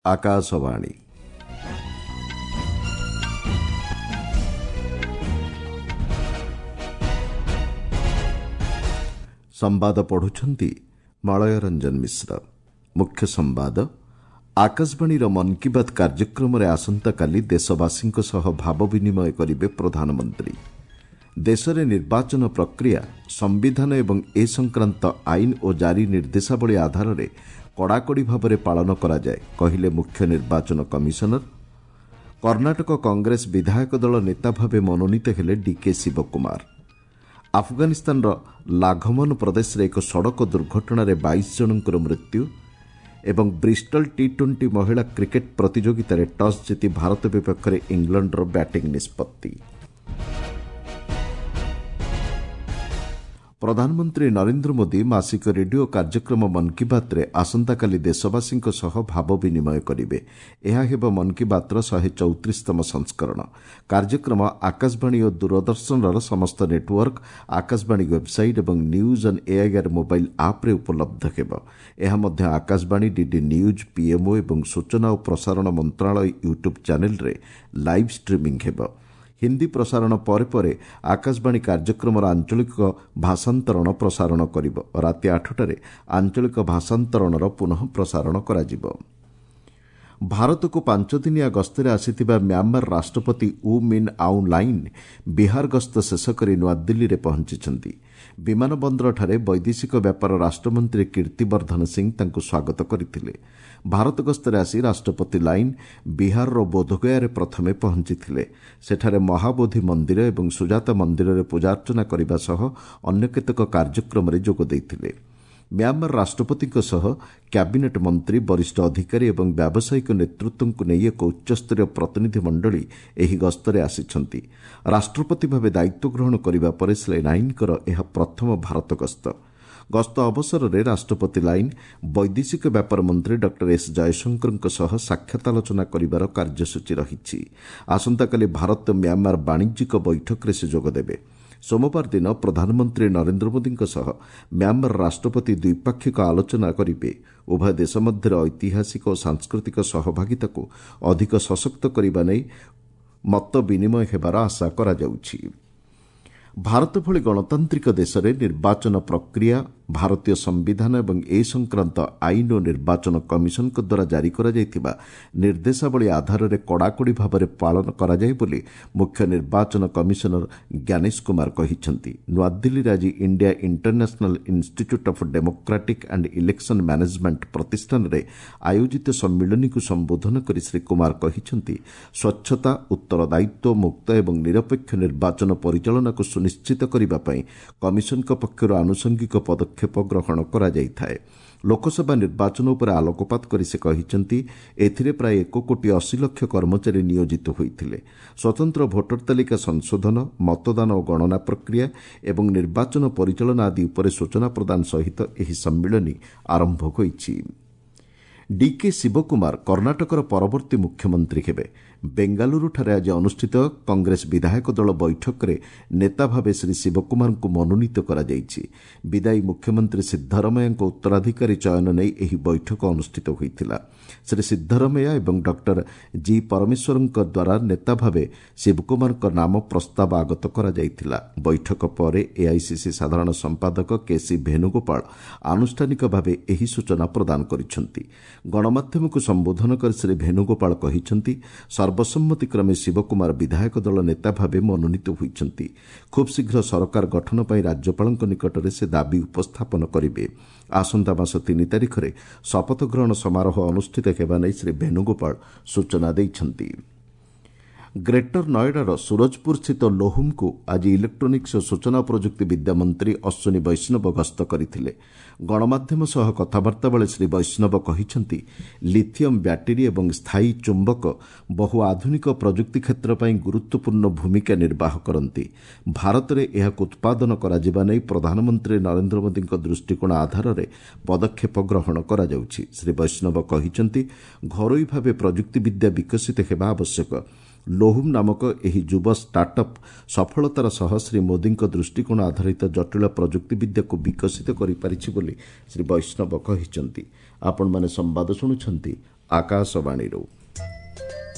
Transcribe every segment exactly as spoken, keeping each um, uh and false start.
ଆକାଶବାଣୀ। ସମ୍ବାଦ ପଢୁଛନ୍ତି ମଳୟ ରଞ୍ଜନ ମିଶ୍ର। ମୁଖ୍ୟ ସମ୍ବାଦ। ଆକାଶବାଣୀର ମନ୍ କି ବାତ୍ କାର୍ଯ୍ୟକ୍ରମରେ ଆସନ୍ତାକାଲି ଦେଶବାସୀଙ୍କ ସହ ଭାବ ବିନିମୟ କରିବେ ପ୍ରଧାନମନ୍ତ୍ରୀ। ଦେଶରେ ନିର୍ବାଚନ ପ୍ରକ୍ରିୟା ସମ୍ବିଧାନ ଏବଂ ଏ ସଂକ୍ରାନ୍ତ ଆଇନ ଓ ଜାରି ନିର୍ଦ୍ଦେଶାବଳୀ ଆଧାରରେ କଡ଼ାକଡ଼ି ଭାବରେ ପାଳନ କରାଯାଏ, କହିଲେ ମୁଖ୍ୟ ନିର୍ବାଚନ କମିଶନର। କର୍ଣ୍ଣାଟକ କଂଗ୍ରେସ ବିଧାୟକ ଦଳ ନେତା ଭାବେ ମନୋନୀତ ହେଲେ ଡିକେ ଶିବକୁମାର। ଆଫଗାନିସ୍ତାନର ଲାଘମନ ପ୍ରଦେଶରେ ଏକ ସଡ଼କ ଦୁର୍ଘଟଣାରେ ବାଇଶ ଜଣଙ୍କର ମୃତ୍ୟୁ। ଏବଂ ବ୍ରିଷ୍ଟଲ ଟି ଟ୍ୱେଣ୍ଟି ମହିଳା କ୍ରିକେଟ୍ ପ୍ରତିଯୋଗିତାରେ ଟସ୍ ଜିତି ଭାରତ ବିପକ୍ଷରେ ଇଂଲଣ୍ଡର ବ୍ୟାଟିଂ ନିଷ୍ପତ୍ତି। ପ୍ରଧାନମନ୍ତ୍ରୀ ନରେନ୍ଦ୍ର ମୋଦି ମାସିକ ରେଡିଓ କାର୍ଯ୍ୟକ୍ରମ ମନ୍ କି ବାତ୍ରେ ଆସନ୍ତାକାଲି ଦେଶବାସୀଙ୍କ ସହ ଭାବ ବିନିମୟ କରିବେ। ଏହା ହେବ ମନ୍ କି ବାତ୍ର ଶହେ ଚଉତିରିଶତମ ସଂସ୍କରଣ। କାର୍ଯ୍ୟକ୍ରମ ଆକାଶବାଣୀ ଓ ଦୂରଦର୍ଶନର ସମସ୍ତ ନେଟୱାର୍କ, ଆକାଶବାଣୀ ୱେବ୍ସାଇଟ୍ ଏବଂ ନ୍ୟୁଜ୍ ଅନ୍ ଏଆଇଆର୍ ମୋବାଇଲ୍ ଆପ୍ରେ ଉପଲବ୍ଧ ହେବ। ଏହା ମଧ୍ୟ ଆକାଶବାଣୀ, ଡିଡି ନ୍ୟୁଜ୍, ପିଏମ୍ଓ ଏବଂ ସୂଚନା ଓ ପ୍ରସାରଣ ମନ୍ତ୍ରଣାଳୟ ୟୁଟ୍ୟୁବ୍ ଚ୍ୟାନେଲ୍ରେ ଲାଇଭ୍ ଷ୍ଟ୍ରିମିଂ ହେବ। ହିନ୍ଦୀ ପ୍ରସାରଣ ପରେ ପରେ ଆକାଶବାଣୀ କାର୍ଯ୍ୟକ୍ରମର ଆଞ୍ଚଳିକ ଭାଷାନ୍ତରଣ ପ୍ରସାରଣ କରିବ। ରାତି ଆଠଟାରେ ଆଞ୍ଚଳିକ ଭାଷାନ୍ତରଣର ପୁନଃ ପ୍ରସାରଣ କରାଯିବ। ଭାରତକୁ ପାଞ୍ଚଦିନିଆ ଗସ୍ତରେ ଆସିଥିବା ମ୍ୟାଁମାର ରାଷ୍ଟ୍ରପତି ଉ ମିନ୍ ଆଉଁ ଲାଇନ୍ ବିହାର ଗସ୍ତ ଶେଷ କରି ନୂଆଦିଲ୍ଲୀରେ ପହଞ୍ଚିଛନ୍ତି। ବିମାନ ବନ୍ଦରଠାରେ ବୈଦେଶିକ ବ୍ୟାପାର ରାଷ୍ଟ୍ରମନ୍ତ୍ରୀ କୀର୍ତ୍ତିବର୍ଦ୍ଧନ ସିଂ ତାଙ୍କୁ ସ୍ୱାଗତ କରିଥିଲେ। ଭାରତ ଗସ୍ତରେ ଆସି ରାଷ୍ଟ୍ରପତି ଲାଇନ୍ ବିହାରର ବୋଧଗୟାରେ ପ୍ରଥମେ ପହଞ୍ଚିଥିଲେ। ସେଠାରେ ମହାବୋଧି ମନ୍ଦିର ଏବଂ ସୁଜାତା ମନ୍ଦିରରେ ପୂଜାର୍ଚ୍ଚନା କରିବା ସହ ଅନ୍ୟ କେତେକ କାର୍ଯ୍ୟକ୍ରମରେ ଯୋଗ ଦେଇଥିଲେ। ମ୍ୟାଁମାର ରାଷ୍ଟ୍ରପତିଙ୍କ ସହ କ୍ୟାବିନେଟ୍ ମନ୍ତ୍ରୀ, ବରିଷ୍ଠ ଅଧିକାରୀ ଏବଂ ବ୍ୟାବସାୟିକ ନେତୃତ୍ୱଙ୍କୁ ନେଇ ଏକ ଉଚ୍ଚସ୍ତରୀୟ ପ୍ରତିନିଧି ମଣ୍ଡଳୀ ଏହି ଗସ୍ତରେ ଆସିଛନ୍ତି। ରାଷ୍ଟ୍ରପତି ଭାବେ ଦାୟିତ୍ୱ ଗ୍ରହଣ କରିବା ପରେ ଶ୍ରୀ ଲାଇନ୍ଙ୍କର ଏହା ପ୍ରଥମ ଭାରତ ଗସ୍ତ। ଗସ୍ତ ଅବସରରେ ରାଷ୍ଟ୍ରପତି ଲାଇନ୍ ବୈଦେଶିକ ବ୍ୟାପାର ମନ୍ତ୍ରୀ ଡକ୍ଟର ଏସ୍ ଜୟଶଙ୍କରଙ୍କ ସହ ସାକ୍ଷାତ ଆଲୋଚନା କରିବାର କାର୍ଯ୍ୟସୂଚୀ ରହିଛି। ଆସନ୍ତାକାଲି ଭାରତ ମ୍ୟାଁମାର ବାଣିଜ୍ୟିକ ବୈଠକରେ ସେ ଯୋଗଦେବେ। ସୋମବାର ଦିନ ପ୍ରଧାନମନ୍ତ୍ରୀ ନରେନ୍ଦ୍ର ମୋଦିଙ୍କ ସହ ମ୍ୟାଁମାର ରାଷ୍ଟ୍ରପତି ଦ୍ୱିପାକ୍ଷିକ ଆଲୋଚନା କରିବେ। ଉଭୟ ଦେଶ ମଧ୍ୟରେ ଐତିହାସିକ ଓ ସାଂସ୍କୃତିକ ସହଭାଗିତାକୁ ଅଧିକ ସଶକ୍ତ କରିବା ନେଇ ମତ ବିନିମୟ ହେବାର ଆଶା କରାଯାଉଛି। ଭାରତ ଭଳି ଗଣତାନ୍ତ୍ରିକ ଦେଶରେ ନିର୍ବାଚନ ପ୍ରକ୍ରିୟା ଭାରତୀୟ ସମ୍ବିଧାନ ଏବଂ ଏ ସଂକ୍ରାନ୍ତ ଆଇନ ଓ ନିର୍ବାଚନ କମିଶନଙ୍କ ଦ୍ୱାରା ଜାରି କରାଯାଇଥିବା ନିର୍ଦ୍ଦେଶାବଳୀ ଆଧାରରେ କଡ଼ାକଡ଼ି ଭାବରେ ପାଳନ କରାଯାଏ ବୋଲି ମୁଖ୍ୟ ନିର୍ବାଚନ କମିଶନର ଜ୍ଞାନେଶ କୁମାର କହିଛନ୍ତି। ନୂଆଦିଲ୍ଲୀରେ ଆଜି India International Institute of Democratic and Election Management ପ୍ରତିଷ୍ଠାନରେ ଆୟୋଜିତ ସମ୍ମିଳନୀକୁ ସମ୍ବୋଧନ କରି ଶ୍ରୀ କୁମାର କହିଛନ୍ତି, ସ୍ୱଚ୍ଛତା, ଉତ୍ତରଦାୟିତ୍ୱ, ମୁକ୍ତ ଏବଂ ନିରପେକ୍ଷ ନିର୍ବାଚନ ପରିଚାଳନାକୁ ସୁନିଶ୍ଚିତ କରିବା ପାଇଁ କମିଶନଙ୍କ ପକ୍ଷରୁ ଆନୁଷଙ୍ଗିକ ପଦକ୍ଷେପ ଗ୍ରହଣ କରାଯାଇଥାଏ। ଲୋକସଭା ନିର୍ବାଚନ ଉପରେ ଆଲୋକପାତ କରି ସେ କହିଛନ୍ତି, ଏଥିରେ ପ୍ରାୟ ଏକ କୋଟି ଅଶୀ ଲକ୍ଷ କର୍ମଚାରୀ ନିୟୋଜିତ ହୋଇଥିଲେ। ସ୍ୱତନ୍ତ୍ର ଭୋଟର ତାଲିକା ସଂଶୋଧନ, ମତଦାନ ଓ ଗଣନା ପ୍ରକ୍ରିୟା ଏବଂ ନିର୍ବାଚନ ପରିଚାଳନା ଆଦି ଉପରେ ସୂଚନା ପ୍ରଦାନ ସହିତ ଏହି ସମ୍ମିଳନୀ ଆରମ୍ଭ ହୋଇଛି। ଡିକେ ଶିବକୁମାର କର୍ଣ୍ଣାଟକର ପରବର୍ତ୍ତୀ ମୁଖ୍ୟମନ୍ତ୍ରୀ ହେବେ। ବେଙ୍ଗାଲୁରୁଠାରେ ଆଜି ଅନୁଷ୍ଠିତ କଂଗ୍ରେସ ବିଧାୟକ ଦଳ ବୈଠକରେ ନେତା ଭାବେ ଶ୍ରୀ ଶିବକୁମାରଙ୍କୁ ମନୋନୀତ କରାଯାଇଛି। ବିଦାୟୀ ମୁଖ୍ୟମନ୍ତ୍ରୀ ସିଦ୍ଧରମୈୟାଙ୍କ ଉତ୍ତରାଧିକାରୀ ଚୟନ ନେଇ ଏହି ବୈଠକ ଅନୁଷ୍ଠିତ ହୋଇଥିଲା। ଶ୍ରୀ ସିଦ୍ଧରମୈୟା ଏବଂ ଡକ୍ଟର ଜି ପରମେଶ୍ୱରଙ୍କ ଦ୍ୱାରା ନେତା ଭାବେ ଶିବକୁମାରଙ୍କ ନାମ ପ୍ରସ୍ତାବ ଆଗତ କରାଯାଇଥିଲା। ବୈଠକ ପରେ ଏଆଇସିସି ସାଧାରଣ ସମ୍ପାଦକ କେସି ଭେନୁଗୋପାଳ ଆନୁଷ୍ଠାନିକ ଭାବେ ଏହି ସୂଚନା ପ୍ରଦାନ କରିଛନ୍ତି। ଗଣମାଧ୍ୟମକୁ ସମ୍ବୋଧନ କରି ଶ୍ରୀ ଭେନୁଗୋପାଳ କହିଛନ୍ତି, ସର୍ବସମ୍ମତିକ୍ରମେ ଶିବକୁମାର ବିଧାୟକ ଦଳ ନେତା ଭାବେ ମନୋନୀତ ହୋଇଛନ୍ତି। ଖୁବ୍ ଶୀଘ୍ର ସରକାର ଗଠନ ପାଇଁ ରାଜ୍ୟପାଳଙ୍କ ନିକଟରେ ସେ ଦାବି ଉପସ୍ଥାପନ କରିବେ। ଆସନ୍ତା ମାସ ତିନି ତାରିଖରେ ଶପଥ ଗ୍ରହଣ ସମାରୋହ ଅନୁଷ୍ଠିତ ହେବା ନେଇ ଶ୍ରୀ ଭେନୁଗୋପାଳ ସୂଚନା ଦେଇଛନ୍ତି। ଗ୍ରେଟର ନଏଡାର ସୁରଜପୁରସ୍ଥିତ ଲୋହୁମ୍କୁ ଆଜି ଇଲେକ୍ଟ୍ରୋନିକ୍ସ ଓ ସୂଚନା ପ୍ରଯୁକ୍ତି ବିଦ୍ୟା ମନ୍ତ୍ରୀ ଅଶ୍ୱିନୀ ବୈଷ୍ଣବ ଗସ୍ତ କରିଥିଲେ। ଗଣମାଧ୍ୟମ ସହ କଥାବାର୍ତ୍ତା ବେଳେ ଶ୍ରୀ ବୈଷ୍ଣବ କହିଛନ୍ତି, ଲିଥିୟମ୍ ବ୍ୟାଟେରୀ ଏବଂ ସ୍ଥାୟୀ ଚୁମ୍ବକ ବହୁ ଆଧୁନିକ ପ୍ରଯୁକ୍ତି କ୍ଷେତ୍ର ପାଇଁ ଗୁରୁତ୍ୱପୂର୍ଣ୍ଣ ଭୂମିକା ନିର୍ବାହ କରନ୍ତି। ଭାରତରେ ଏହାକୁ ଉତ୍ପାଦନ କରାଯିବା ନେଇ ପ୍ରଧାନମନ୍ତ୍ରୀ ନରେନ୍ଦ୍ର ମୋଦିଙ୍କ ଦୃଷ୍ଟିକୋଣ ଆଧାରରେ ପଦକ୍ଷେପ ଗ୍ରହଣ କରାଯାଉଛି। ଶ୍ରୀ ବୈଷ୍ଣବ କହିଛନ୍ତି, ଘରୋଇ ଭାବେ ପ୍ରଯୁକ୍ତିବିଦ୍ୟା ବିକଶିତ ହେବା ଆବଶ୍ୟକ। ଲୋହୁମ୍ ନାମକ ଏହି ଯୁବ ଷ୍ଟାର୍ଟଅପ୍ ସଫଳତାର ସହ ଶ୍ରୀ ମୋଦିଙ୍କ ଦୃଷ୍ଟିକୋଣ ଆଧାରିତ ଜଟିଳ ପ୍ରଯୁକ୍ତିବିଦ୍ୟାକୁ ବିକଶିତ କରିପାରିଛି ବୋଲି ଶ୍ରୀ ବୈଷ୍ଣବ କହିଛନ୍ତି। ଆପଣମାନେ ସମ୍ବାଦ ଶୁଣୁଛନ୍ତି ଆକାଶବାଣୀରୁ।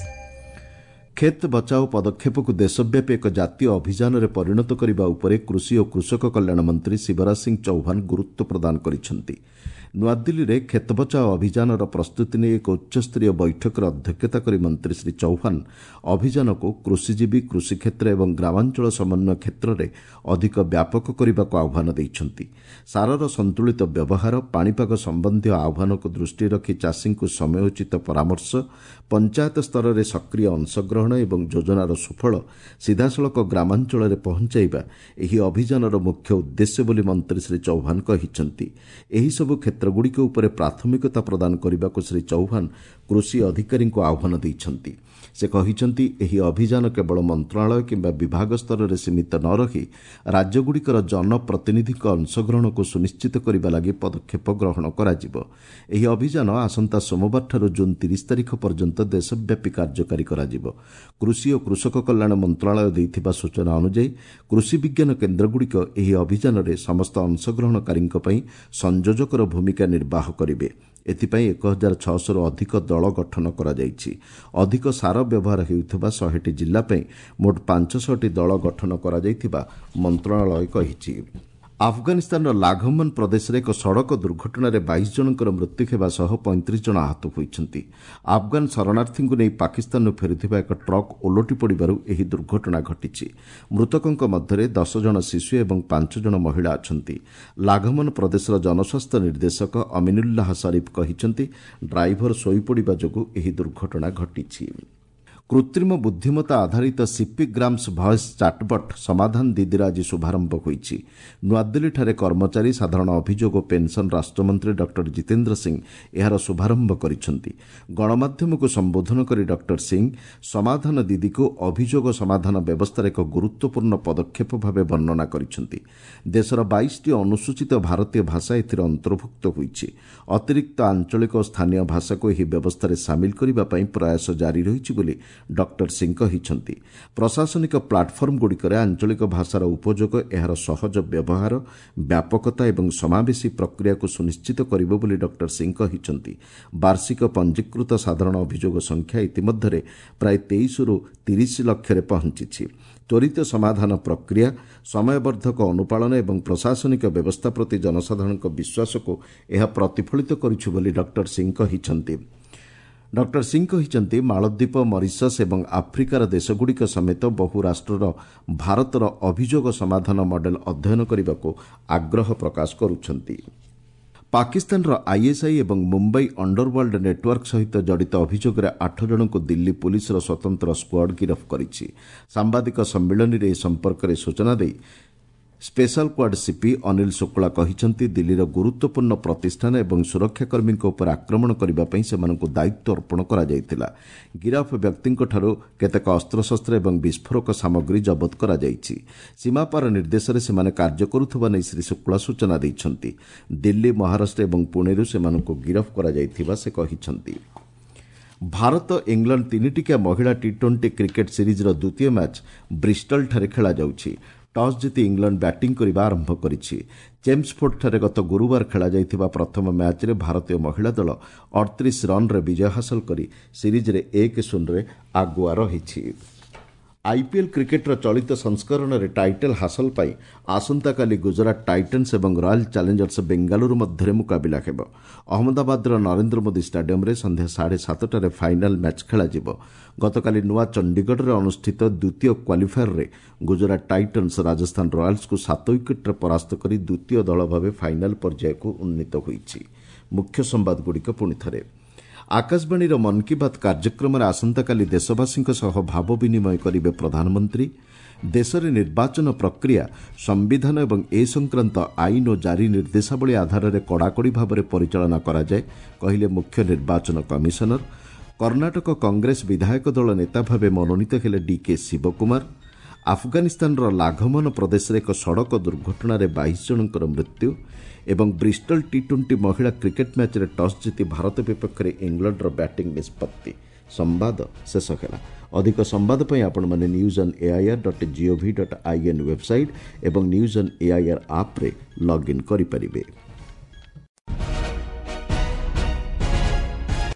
କ୍ଷେତ ବଚାଓ ପଦକ୍ଷେପକୁ ଦେଶବ୍ୟାପୀ ଏକ ଜାତୀୟ ଅଭିଯାନରେ ପରିଣତ କରିବା ଉପରେ କୃଷି ଓ କୃଷକ କଲ୍ୟାଣ ମନ୍ତ୍ରୀ ଶିବରାଜ ସିଂ ଚୌହାନ ଗୁରୁତ୍ୱ ପ୍ରଦାନ କରିଛନ୍ତି। ନୂଆଦିଲ୍ଲୀରେ କ୍ଷେତ ବଚାଓ ଅଭିଯାନର ପ୍ରସ୍ତୁତି ନେଇ ଏକ ଉଚ୍ଚସ୍ତରୀୟ ବୈଠକରେ ଅଧ୍ୟକ୍ଷତା କରି ମନ୍ତ୍ରୀ ଶ୍ରୀ ଚୌହାନ ଅଭିଯାନକୁ କୃଷିଜୀବୀ, କୃଷିକ୍ଷେତ୍ର ଏବଂ ଗ୍ରାମାଞ୍ଚଳ ସମନ୍ୱୟ କ୍ଷେତ୍ରରେ ଅଧିକ ବ୍ୟାପକ କରିବାକୁ ଆହ୍ୱାନ ଦେଇଛନ୍ତି। ସାରର ସନ୍ତୁଳିତ ବ୍ୟବହାର, ପାଣିପାଗ ସମ୍ବନ୍ଧୀୟ ଆହ୍ୱାନକୁ ଦୃଷ୍ଟିରେ ରଖି ଚାଷୀଙ୍କୁ ସମୟୋଚିତ ପରାମର୍ଶ, ପଞ୍ଚାୟତ ସ୍ତରରେ ସକ୍ରିୟ ଅଂଶଗ୍ରହଣ ଏବଂ ଯୋଜନାର ସୁଫଳ ସିଧାସଳଖ ଗ୍ରାମାଞ୍ଚଳରେ ପହଞ୍ଚାଇବା ଏହି ଅଭିଯାନର ମୁଖ୍ୟ ଉଦ୍ଦେଶ୍ୟ ବୋଲି ମନ୍ତ୍ରୀ ଶ୍ରୀ ଚୌହାନ କହିଛନ୍ତି। ଏହିସବୁ କ୍ଷେତ୍ରଗୁଡ଼ିକ ଉପରେ ପ୍ରାଥମିକତା ପ୍ରଦାନ କରିବାକୁ ଶ୍ରୀ ଚୌହାନ କୃଷି ଅଧିକାରୀଙ୍କୁ ଆହ୍ୱାନ ଦେଇଛନ୍ତି। ସେ କହିଛନ୍ତି, ଏହି ଅଭିଯାନ କେବଳ ମନ୍ତ୍ରଣାଳୟ କିମ୍ବା ବିଭାଗ ସ୍ତରରେ ସୀମିତ ନ ରହି ରାଜ୍ୟଗୁଡ଼ିକର ଜନପ୍ରତିନିଧିଙ୍କ ଅଂଶଗ୍ରହଣକୁ ସୁନିଶ୍ଚିତ କରିବା ଲାଗି ପଦକ୍ଷେପ ଗ୍ରହଣ କରାଯିବ। ଏହି ଅଭିଯାନ ଆସନ୍ତା ସୋମବାରଠାରୁ ଜୁନ୍ ତିରିଶ ତାରିଖ ପର୍ଯ୍ୟନ୍ତ ଦେଶବ୍ୟାପୀ କାର୍ଯ୍ୟକାରୀ କରାଯିବ। କୃଷି ଓ କୃଷକ କଲ୍ୟାଣ ମନ୍ତ୍ରଣାଳୟ ଦେଇଥିବା ସୂଚନା ଅନୁଯାୟୀ କୃଷି ବିଜ୍ଞାନ କେନ୍ଦ୍ରଗୁଡ଼ିକ ଏହି ଅଭିଯାନରେ ସମସ୍ତ ଅଂଶଗ୍ରହଣକାରୀଙ୍କ ପାଇଁ ସଂଯୋଜକର ଭୂମିକା ନିର୍ବାହ କରିବେ। ଏଥିପାଇଁ ଏକ ହଜାର ଛଅଶହରୁ ଅଧିକ ଦଳ ଗଠନ କରାଯାଇଛି। ଅଧିକ ସାର ବ୍ୟବହାର ହେଉଥିବା ଶହେଟି ଜିଲ୍ଲା ପାଇଁ ମୋଟ ପାଞ୍ଚଶହଟି ଦଳ ଗଠନ କରାଯାଇଥିବା ମନ୍ତ୍ରଣାଳୟ କହିଛି। ଆଫଗାନିସ୍ତାନର ଲାଘମନ ପ୍ରଦେଶରେ ଏକ ସଡ଼କ ଦୁର୍ଘଟଣାରେ ବାଇଶ ଜଣଙ୍କର ମୃତ୍ୟୁ ହେବା ସହ ପଇଁତିରିଶ ଜଣ ଆହତ ହୋଇଛନ୍ତି। ଆଫଗାନ ଶରଣାର୍ଥୀଙ୍କୁ ନେଇ ପାକିସ୍ତାନରୁ ଫେରୁଥିବା ଏକ ଟ୍ରକ୍ ଓଲଟି ପଡ଼ିବାରୁ ଏହି ଦୁର୍ଘଟଣା ଘଟିଛି। ମୃତକଙ୍କ ମଧ୍ୟରେ ଦଶ ଜଣ ଶିଶୁ ଏବଂ ପାଞ୍ଚ ଜଣ ମହିଳା ଅଛନ୍ତି। ଲାଘମନ ପ୍ରଦେଶର ଜନସ୍ୱାସ୍ଥ୍ୟ ନିର୍ଦ୍ଦେଶକ ଅମିନୁଲ୍ଲାହ ସରିଫ କହିଛନ୍ତି, ଡ୍ରାଇଭର ଶୋଇପଡ଼ିବା ଯୋଗୁଁ ଏହି ଦୁର୍ଘଟଣା ଘଟିଛି। କୃତ୍ରିମ ବୁଦ୍ଧିମତ୍ତା ଆଧାରିତ ସିପିଗ୍ରାମ୍ସ ଭଏସ୍ ଚାଟ୍ବଟ୍ ସମାଧାନ ଦିଦିର ଆଜି ଶୁଭାରମ୍ଭ ହୋଇଛି। ନୂଆଦିଲ୍ଲୀଠାରେ କର୍ମଚାରୀ, ସାଧାରଣ ଅଭିଯୋଗ ଓ ପେନ୍ସନ୍ ରାଷ୍ଟ୍ରମନ୍ତ୍ରୀ ଡକ୍ଟର ଜିତେନ୍ଦ୍ର ସିଂ ଏହାର ଶୁଭାରମ୍ଭ କରିଛନ୍ତି। ଗଣମାଧ୍ୟମକୁ ସମ୍ବୋଧନ କରି ଡକ୍ଟର ସିଂ ସମାଧାନ ଦିଦିକୁ ଅଭିଯୋଗ ସମାଧାନ ବ୍ୟବସ୍ଥାରେ ଏକ ଗୁରୁତ୍ୱପୂର୍ଣ୍ଣ ପଦକ୍ଷେପ ଭାବେ ବର୍ଣ୍ଣନା କରିଛନ୍ତି। ଦେଶର ବାଇଶଟି ଅନୁସୂଚିତ ଭାରତୀୟ ଭାଷା ଏଥିରେ ଅନ୍ତର୍ଭୁକ୍ତ ହୋଇଛି। ଅତିରିକ୍ତ ଆଞ୍ଚଳିକ ଓ ସ୍ଥାନୀୟ ଭାଷାକୁ ଏହି ବ୍ୟବସ୍ଥାରେ ସାମିଲ କରିବା ପାଇଁ ପ୍ରୟାସ ଜାରି ରହିଛି ବୋଲି ଡକ୍ଟର ସିଂ କହିଛନ୍ତି। ପ୍ରଶାସନିକ ପ୍ଲାଟଫର୍ମଗୁଡ଼ିକରେ ଆଞ୍ଚଳିକ ଭାଷାର ଉପଯୋଗ ଏହାର ସହଜ ବ୍ୟବହାର, ବ୍ୟାପକତା ଏବଂ ସମାବେଶୀ ପ୍ରକ୍ରିୟାକୁ ସୁନିଶ୍ଚିତ କରିବ ବୋଲି ଡକ୍ଟର ସିଂ କହିଛନ୍ତି। ବାର୍ଷିକ ପଞ୍ଜୀକୃତ ସାଧାରଣ ଅଭିଯୋଗ ସଂଖ୍ୟା ଇତିମଧ୍ୟରେ ପ୍ରାୟ ତେଇଶରୁ ତିରିଶ ଲକ୍ଷରେ ପହଞ୍ଚିଛି। ତ୍ୱରିତ ସମାଧାନ ପ୍ରକ୍ରିୟା, ସମୟବର୍ଦ୍ଧକ ଅନୁପାଳନ ଏବଂ ପ୍ରଶାସନିକ ବ୍ୟବସ୍ଥା ପ୍ରତି ଜନସାଧାରଣଙ୍କ ବିଶ୍ୱାସକୁ ଏହା ପ୍ରତିଫଳିତ କରୁଛି ବୋଲି ଡକ୍ଟର ସିଂ କହିଛନ୍ତି। ଡକ୍ଟର ସିଂ କହିଛନ୍ତି, ମାଳଦ୍ୱୀପ, ମରିସସ୍ ଏବଂ ଆଫ୍ରିକାର ଦେଶଗୁଡ଼ିକ ସମେତ ବହୁ ରାଷ୍ଟ୍ରର ଭାରତର ଅଭିଯୋଗ ସମାଧାନ ମଡେଲ ଅଧ୍ୟୟନ କରିବାକୁ ଆଗ୍ରହ ପ୍ରକାଶ କରୁଛନ୍ତି। ପାକିସ୍ତାନର ଆଇଏସ୍ଆଇ ଏବଂ ମୁମ୍ବାଇ ଅଣ୍ଡରୱାର୍ଲ୍ଡ ନେଟୱାର୍କ ସହିତ ଜଡ଼ିତ ଅଭିଯୋଗରେ ଆଠ ଜଣଙ୍କୁ ଦିଲ୍ଲୀ ପୁଲିସର ସ୍ୱତନ୍ତ୍ର ସ୍କ୍ୱାଡ୍ ଗିରଫ କରିଛି। ସାମ୍ବାଦିକ ସମ୍ମିଳନୀରେ ଏ ସମ୍ପର୍କରେ ସୂଚନା ଦେଇ special squad CP Anil Shukla କହିଛନ୍ତି, ଦିଲ୍ଲୀର ଗୁରୁତ୍ୱପୂର୍ଣ୍ଣ ପ୍ରତିଷ୍ଠାନ ଏବଂ ସୁରକ୍ଷାକର୍ମୀଙ୍କ ଉପରେ ଆକ୍ରମଣ କରିବା ପାଇଁ ସେମାନଙ୍କୁ ଦାୟିତ୍ୱ ଅର୍ପଣ କରାଯାଇଥିଲା। ଗିରଫ ବ୍ୟକ୍ତିଙ୍କଠାରୁ କେତେକ ଅସ୍ତ୍ରଶସ୍ତ୍ର ଏବଂ ବିସ୍ଫୋରକ ସାମଗ୍ରୀ ଜବତ କରାଯାଇଛି। ସୀମାପାର ନିର୍ଦ୍ଦେଶରେ ସେମାନେ କାର୍ଯ୍ୟ କରୁଥିବା ନେଇ ଶ୍ରୀ ଶୁକ୍ଳା ସୂଚନା ଦେଇଛନ୍ତି। ଦିଲ୍ଲୀ, ମହାରାଷ୍ଟ୍ର ଏବଂ ପୁଣେରୁ ସେମାନଙ୍କୁ ଗିରଫ କରାଯାଇଥିବା ସେ କହିଛନ୍ତି। ଭାରତ ଇଂଲଣ୍ଡ ତିନିଟିକିଆ ମହିଳା ଟି ଟ୍ୱେଣ୍ଟି କ୍ରିକେଟ୍ ସିରିଜ୍ର ଦ୍ୱିତୀୟ ମ୍ୟାଚ୍ ବ୍ରିଷ୍ଟଲଠାରେ ଖେଳାଯାଉଛି। ଟସ୍ ଜିତି ଇଂଲଣ୍ଡ ବ୍ୟାଟିଂ କରିବା ଆରମ୍ଭ କରିଛି। ଚେମ୍ସଫୋର୍ଡଠାରେ ଗତ ଗୁରୁବାର ଖେଳାଯାଇଥିବା ପ୍ରଥମ ମ୍ୟାଚ୍ରେ ଭାରତୀୟ ମହିଳା ଦଳ ଅଠତିରିଶ ରନ୍ରେ ବିଜୟ ହାସଲ କରି ସିରିଜ୍ରେ ଏକ ଶୂନରେ ଆଗୁଆ ରହିଛି। ଆଇପିଏଲ୍ କ୍ରିକେଟ୍ର ଚଳିତ ସଂସ୍କରଣରେ ଟାଇଟଲ୍ ହାସଲ ପାଇଁ ଆସନ୍ତାକାଲି ଗୁଜରାଟ ଟାଇଟନ୍ସ ଏବଂ ରୟାଲ୍ ଚ୍ୟାଲେଞ୍ଜର୍ସ ବେଙ୍ଗାଲୁରୁ ମଧ୍ୟରେ ମୁକାବିଲା ହେବ। ଅହମ୍ମଦାବାଦର ନରେନ୍ଦ୍ର ମୋଦି ଷ୍ଟାଡିୟମ୍ରେ ସନ୍ଧ୍ୟା ସାଢ଼େ ସାତଟାରେ ଫାଇନାଲ୍ ମ୍ୟାଚ୍ ଖେଳାଯିବ। ଗତକାଲି ନୂଆ ଚଣ୍ଡିଗଡ଼ରେ ଅନୁଷ୍ଠିତ ଦ୍ୱିତୀୟ କ୍ୱାଲିଫାୟରରେ ଗୁଜରାଟ ଟାଇଟନ୍ସ ରାଜସ୍ଥାନ ରୟାଲ୍ସକୁ ସାତ ୱିକେଟ୍ରେ ପରାସ୍ତ କରି ଦ୍ୱିତୀୟ ଦଳ ଭାବେ ଫାଇନାଲ୍ ପର୍ଯ୍ୟାୟକୁ ଉନ୍ନୀତ ହୋଇଛି। ମୁଖ୍ୟ ସମ୍ବାଦଗୁଡ଼ିକ ପୁଣିଥରେ। ଆକାଶବାଣୀର ମନ୍ କି ବାତ୍ କାର୍ଯ୍ୟକ୍ରମରେ ଆସନ୍ତାକାଲି ଦେଶବାସୀଙ୍କ ସହ ଭାବ ବିନିମୟ କରିବେ ପ୍ରଧାନମନ୍ତ୍ରୀ। ଦେଶରେ ନିର୍ବାଚନ ପ୍ରକ୍ରିୟା ସମ୍ବିଧାନ ଏବଂ ଏ ସଂକ୍ରାନ୍ତ ଆଇନ ଓ ଜାରି ନିର୍ଦ୍ଦେଶାବଳୀ ଆଧାରରେ କଡ଼ାକଡ଼ି ଭାବରେ ପରିଚାଳନା କରାଯାଏ, କହିଲେ ମୁଖ୍ୟ ନିର୍ବାଚନ କମିଶନର। କର୍ଣ୍ଣାଟକ କଂଗ୍ରେସ ବିଧାୟକ ଦଳ ନେତା ଭାବେ ମନୋନୀତ ହେଲେ ଡିକେ ଶିବକୁମାର। ଆଫଗାନିସ୍ତାନର ଲାଘମନ ପ୍ରଦେଶରେ ଏକ ସଡ଼କ ଦୁର୍ଘଟଣାରେ ବାଇଶ ଜଣଙ୍କର ମୃତ୍ୟୁ ଏବଂ ବ୍ରିଷ୍ଟଲ ଟି ଟ୍ୱେଣ୍ଟି ମହିଳା କ୍ରିକେଟ୍ ମ୍ୟାଚ୍ରେ ଟସ୍ ଜିତି ଭାରତ ବିପକ୍ଷରେ ଇଂଲଣ୍ଡର ବ୍ୟାଟିଂ ନିଷ୍ପତ୍ତି। ସମ୍ବାଦ ଶେଷ ହେଲା। ଅଧିକ ସମ୍ବାଦ ପାଇଁ ଆପଣମାନେ news on AIR dot gov dot in website ଏବଂ ନ୍ୟୁଜ୍ ଅନ୍ ଏଆଇଆର୍ ଆପ୍ରେ ଲଗ୍ଇନ୍ କରିପାରିବେ।